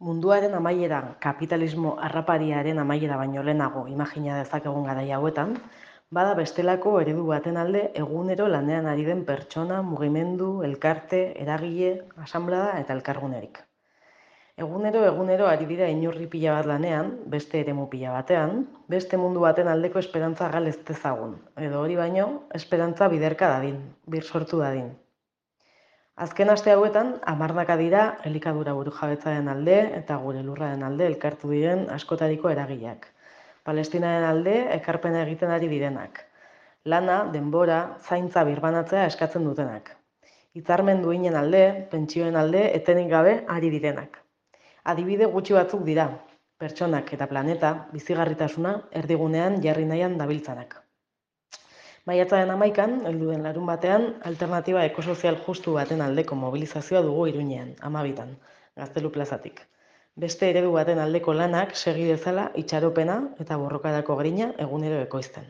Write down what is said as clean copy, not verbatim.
Munduaren amaiera, kapitalismo harrapariaren amaiera baino lehenago imagina dezakegun garai hauetan, bada bestelako eredu baten alde egunero lanean ari den pertsona, mugimendu, elkarte, eragile, asanblada eta elkargunerik. Egunero ari dira inurri pila bat lanean, beste eremu pila batean, beste mundu baten aldeko esperantza gal ez dezagun, edo hori baino, esperantza biderka dadin, bir sortu dadin. Azken aste hauetan, hamarnaka dira elikadura burujabetzaren alde eta gure lurraren alde elkartu diren askotariko eragileak. Palestinaren alde ekarpena egiten ari direnak. Lana, denbora, zaintza birbanatzea eskatzen dutenak. Hitzarmen duinen alde, pentsioen alde, etenik gabe ari direnak. Adibide gutxi batzuk dira, pertsonak eta planeta bizigarritasuna erdigunean jarri nahian dabiltzanak. Maiatzaren 11an, heldu den larunbatean, alternatiba ekosozial justu baten aldeko mobilizazioa dugu Iruñean, 12an, Gaztelu plazatik. Beste eredu baten aldeko lanak segi dezala itxaropena eta borrokarako grina egunero ekoizten.